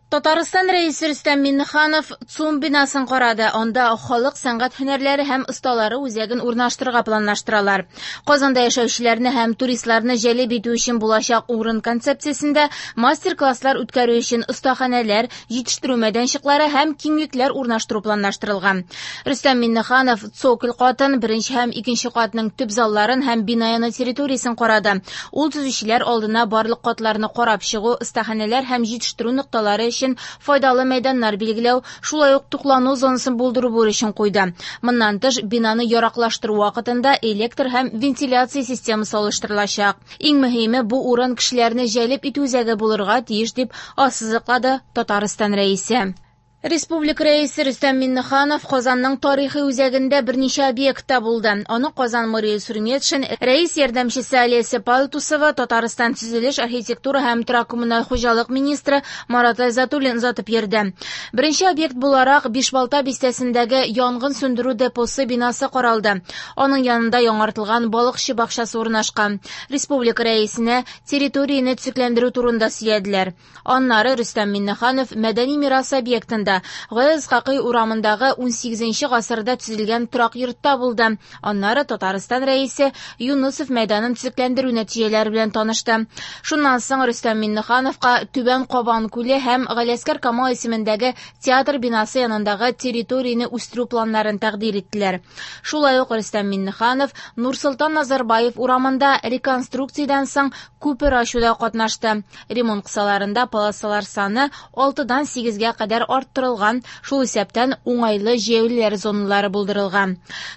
Татарстан Рәисе Рөстәм Миңнеханов ЦУМ бинасын карады. Анда халык сәнгать һөнәрләре һәм осталары үзәген урнаштырырга планлаштыралар. Казанда яшәүчеләрне һәм туристларны җәлеп итү өчен булачак урын концепциясендә мастер-класслар үткәрү өчен остаханәләр, җитештерү мәйданчыклары һәм киңлекләр урнаштыру планлаштырылган. Рөстәм Миңнеханов цоколь катын, беренче һәм икенче катның төп залларын һәм бина яны территориясен карады. Ул төзүчеләр алдына барлык катларны карап чыгу, остаханәләр һәм җитештерү нокталары өчен файдалы мәйданнар билгеләү, шулай ук туклану зонасын булдыру бурычын куйды. Моннан тыш, бинаны яраклаштыру вакытында электр һәм вентиляция системасы алыштырылачак. Иң мөһиме, бу урын кешеләрне җәлеп итү үзәге булырга тиеш, дип ассызыклады Татарстан Рәисе. Республика Рәисе Рөстәм Миңнеханов Казанның тарихи үзәгендә берничә объектта булды. Аны Казан мэры Илсур Метшин, рәис ярдәмчесе Олеся Палтусова, Татарстан төзелеш, архитектура һәм торак-коммуналь хуҗалык министры Марат Айзатуллин озатып йөрде. Беренче объект буларак Бишбалта бистәсендәге янгын сүндерү депосы бинасы каралды. Аның янында яңартылган балыкчы бакчасы урнашкан. Республика Рәисенә территорияне төзекләндерү турында сөйләделәр. Аннары Рөстәм Миңнеханов мәдәни мирас объектында, Гаяз Исхакый урамындагы унсигезенче гасырда төзелгән торак йортта булды. Аннары Татарстан Рәисе Юнысов мәйданын төзекләндерү нәтиҗәләре белән танышты. Шуннан соң Рөстәм Миңнехановка Түбән Кабан күле һәм Галиәсгар Камал исемендәге театр бинасы янындагы территорияне үстерү планнарын тәкъдир иттеләр. Шулай ук Рөстәм Миңнеханов Нурсолтан Назарбаев урамында реконструкциядән соң күпер ачуда катнашты. Ремонт кысаларында полосалар саны алтыдан сигезгә кадәр арттырылган, шул исәптән уңайлы җәяүлеләр зоналары булдырылган.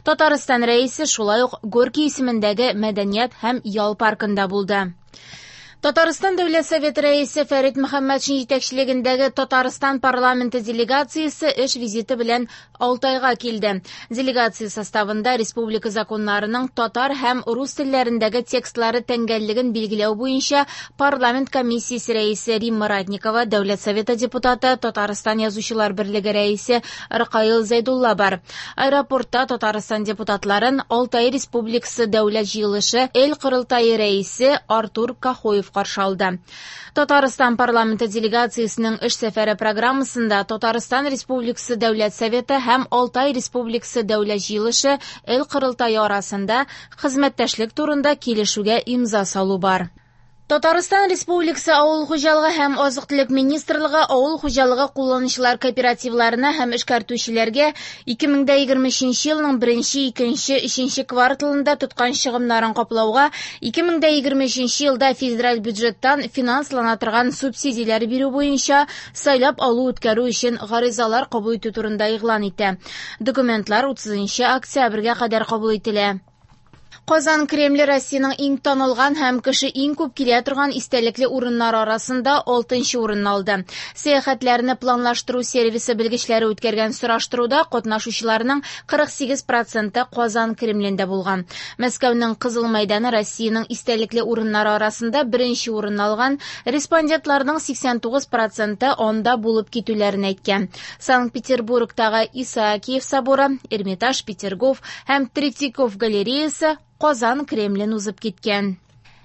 Татарстан Рәисе шулай ук Горький исемендәге мәдәният һәм ял паркында булды. Татарстан Дәүләт Советы Рәисе Фәрит Мөхәммәтшин җитәкчелегендәге Татарстан парламенты делегациясе эш визиты белән Алтайга килде. Делегация составында республика законнарының татар һәм рус телләрендәге текстлары тәңгәллеген билгеләү буенча парламент комиссиясе рәисе Римма Ратникова, Дәүләт Советы депутаты, Татарстан Язучылар берлеге рәисе Ркаил Зәйдулла бар. Аэропортта Татарстан депутатларын Алтай Республикасы Дәүләт җыелышы Эл Корылтае рәисе Артур Кахоев каршы алды. Татарстан парламенты делегациясенең эш сәфәре программасында Татарстан Республикасы Дәүләт Советы һәм Алтай Республикасы Дәүләт җыелышы Эл Корылтае арасында хезмәттәшлек турында килешүгә имза салу бар. Татарстан Республикасы Авыл хуҗалыгы һәм азык-төлек министрлыгы авыл хуҗалыгы кулланучылар кооперативларына һәм эшкәртүчеләргә 2023 елның беренче, икенче, өченче кварталында тоткан чыгымнарын каплауга 2023 елда федераль бюджеттан финанслана торган субсидияләр бирү буенча сайлап алу үткәрү өчен гаризалар кабул итү турында игълан итә. Документлар 30 октябрьгә кадәр кабул ителә. Казан Кремле Россиянең иң танылган һәм кеше иң күп килә торган истәлекле урыннар арасында алтынчы урынны алды. Сәяхәтләрне планлаштыру сервисы белгечләре үткәргән сораштыруда катнашучыларның 48 проценты Казан Кремлендә булган. Мәскәүнең Кызыл мәйданы Россиянең истәлекле урыннары арасында беренче урынны алган, респондентларның 89 проценты анда булып китүләрен әйткән. Санкт-Петербургтагы Исаакиев соборы, Эрмитаж, Петергоф һәм Третьяков галереясы Казан Кремлен узып киткән.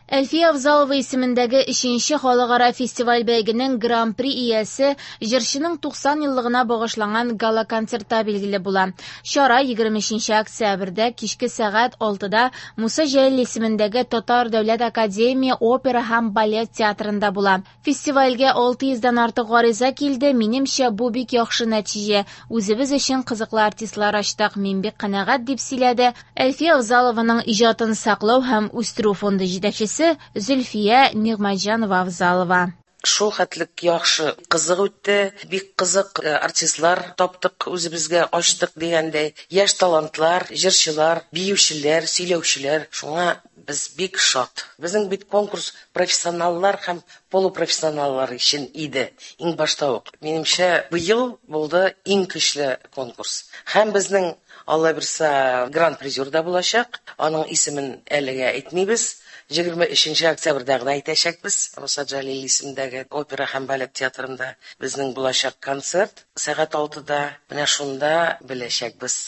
Әлфия Авзалова исемендәге өченче халыкара фестиваль-бәйгенең гран-при иясе җырчының 90 еллыгына багышланган гала-концертта билгеле була. Чара 23 октябрьдә кичке сәгать алтыда Муса Җәлил исемендәге Татар дәүләт академия опера һәм балет театрында була. Фестивальгә 600 дән артык гариза килде, минемчә, бу бик яхшы нәтиҗә. Үзебез өчен кызыклы артистлар ачтык, мин бик канәгать, дип сөйләде Әлфия Авзалованың иҗатын саклау һәм үстерү фонды җитәкчесе Зөлфия Нигъмәтҗанова-Авзалова. Шул хәтлек яхшы, кызык үтте, бик кызык артистлар таптык үзебезгә, ачтык дигәндәй. Яшь талантлар, җырчылар, биючеләр, сөйләүчеләр. Шуңа без бик шат. Безнең бит конкурс профессионаллар һәм полупрофессионаллар өчен иде иң башта ук. Минемчә, быел булды иң көчле конкурс. Һәм безнең, Алла бирса, гран-призер да булачак. Аның исемен әлегә әйтмибез. Егерме өченче октябрьдә генә әйтәчәкбез. Муса Җәлил исемендәге опера һәм балет театрында безнең булачак концерт. Сәгать алтыда. Менә шунда беләчәкбез.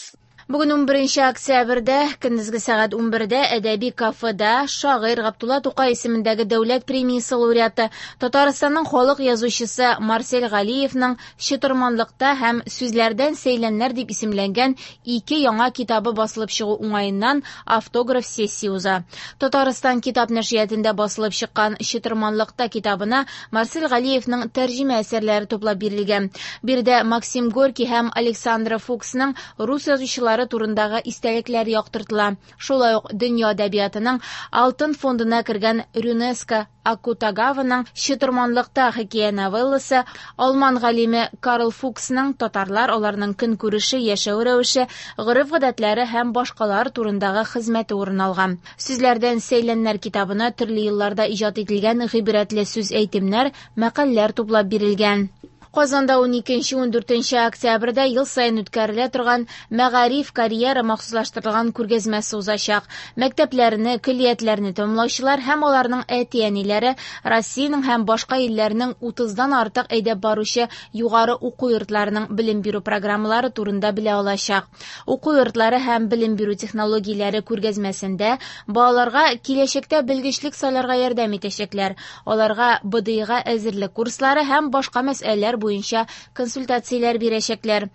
Бүген 11 октябрьдә көндезге сәгать 11дә әдәби кафеда шагыйрь Габдулла Тукай исемендәге дәүләт премиясе лауреаты, Татарстанның халык язучысы Марсель Галиевның «Чытырманлыкта» һәм «Сүзләрдән сәйләннәр» дип исемләнгән ике яңа китабы басылып чыгу уңаеннан автограф сессия уза. Татарстан китап нәшриятында басылып чыккан «Чытырманлыкта» китабына Марсель Галиевның тәрҗемә әсәрләре туплап бирелгән. Биредә Максим Горький һәм Александра Фуксның рус язучылары турындагы истәлекләр яктыртыла. Шулай ук дөнья әдәбиятының алтын фондына кергән Рюнеско Акутагаваның «Чытырманлыкта» хикәя новелласы, алман галиме Карл Фуксның татарлар, аларның көнкүреше, яшәү рәвеше, гореф-гадәтләре һәм башкалар турындагы хезмәте урын алган. «Сүзләрдән сәйләннәр» китабына төрле елларда иҗат ителгән гыйбрәтле сүз-әйтемнәр, мәкальләр туплап бирелгән. Казанда 12-14 октябрьдә ел саен үткәрелә торган Мәгариф карьера махсуслаштырылган күргәзмәсе узачак. Мәктәпләрне, көллиятләрне тәмамлаучылар һәм аларның әти-әниләре Россиянең һәм башка илләрнең 30-дан артык әйдәп баручы югары уку йортларының белем бирү программалары турында белә алачак. Уку йортлары һәм белем бирү технологияләре күргәзмәсендә балаларга киләчәктә белгечлек сайларга ярдәм итәчәкләр. Аларга БДИга әзерлек курслары һәм башка мәсьәләләр буенча консультацияләр бирәчәкләр.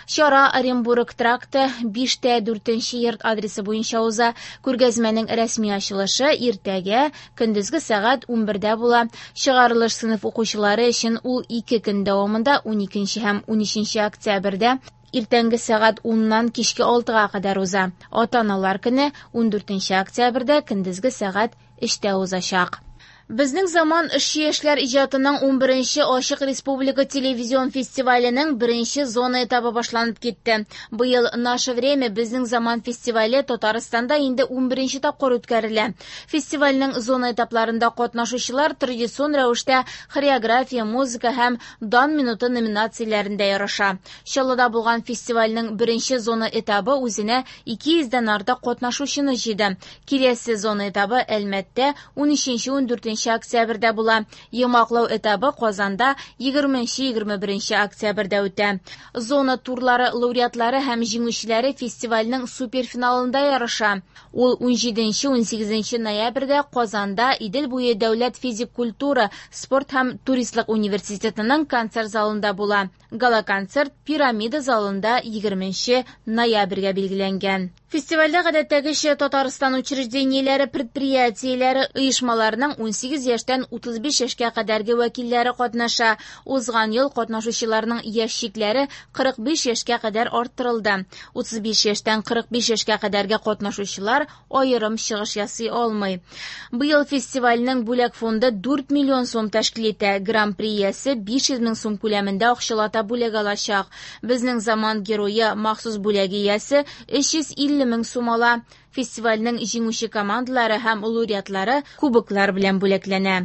Чара Оренбург тракты 5-4 йорт адресы буенча уза. Күргәзмәнең рәсми ачылышы иртәгә көндезге сәгать 11дә була. Чыгарылыш сыйныф укучылары өчен ул 2 көн дәвамында 12 һәм 13 октябрьдә иртәнге сәгать 10-нан кичке 6-га кадәр уза. Ата-аналар көне 14 октябрьдә көндезге сәгать 3-тә узачак. Безнең заман эшче яшьләр иҗатының 11нче Ачык республика телевизион фестиваленең беренче зона этабы башланып китте. Быел «Наше время» безнең заман фестивале Татарстанда инде 11нче тапкыр үткәрелә. Фестивальнең зона этапларында катнашучылар традицион рәвештә хореография, музыка һәм дан минуты номинацияләрендә ярыша. Чаллыда булган фестивальнең беренче зона этабы үзенә 200дән артык катнашучыны җыйды. Киләсе зона этабы Әлмәттә 13-14 октябрьдә була. Йомгаклау этабы Казанда 20-21 октябрьдә үтә. Зона турлары лауреатлары һәм җиңүчеләре фестивальнең суперфиналында ярыша. Ул 17-18 ноябрьдә Казанда Идел буе дәүләт физик культура, спорт һәм туристлык университетының концерт залында була. Гала-концерт Пирамида залында 20 ноябрьгә билгеләнгән. Фестивальдә гадәттәгечә Татарстан учреждениеләре, предприятиеләре, оешмаларының 18 яшьтән 35 яшькә кадәрге вәкилләре катнаша. Узган ел катнашучыларның яшь чикләре 45 яшькә кадәр арттырылды. 35 яшьтән 45 яшькә кадәрге катнашучылар аерым чыгыш ясый алмый. Быел фестивальнең бүләк фонды 4 миллион сум тәшкил итә. Гран-при иясе 500 мең сум күләмендә акчалата бүләк алачак. Безнең заман герое махсус бүләге иясе 350 мең сум ала. Фестивальнең җиңүче командалары һәм лауреатлары кубоклар белән бүләкләнә.